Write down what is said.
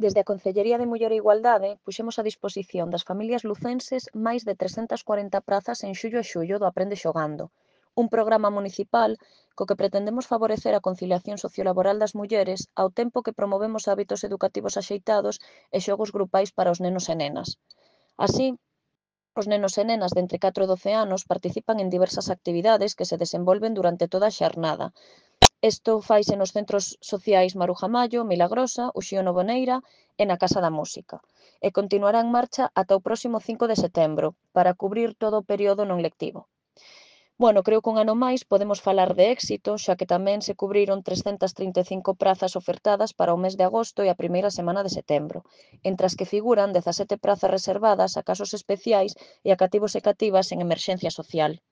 Desde a Concellería de Muller e Igualdade puxemos a disposición das familias lucenses máis de 340 prazas en xullo e xullo do Aprende Xogando, un programa municipal co que pretendemos favorecer a conciliación sociolaboral das mulleres ao tempo que promovemos hábitos educativos axeitados e xogos grupais para os nenos e nenas. Así, os nenos e nenas de entre 4 e 12 anos participan en diversas actividades que se desenvolven durante toda a xornada. Isto faise nos centros sociais Maruja Mallo, Milagrosa, Uxío Novoneira e na Casa da Música. E continuará en marcha ata o próximo 5 de setembro, para cubrir todo o período non lectivo. Bueno, creo que un ano máis podemos falar de éxito, xa que tamén se cubriron 335 prazas ofertadas para o mes de agosto e a primeira semana de setembro, entre as que figuran 17 prazas reservadas a casos especiais e a cativos e cativas en emerxencia social.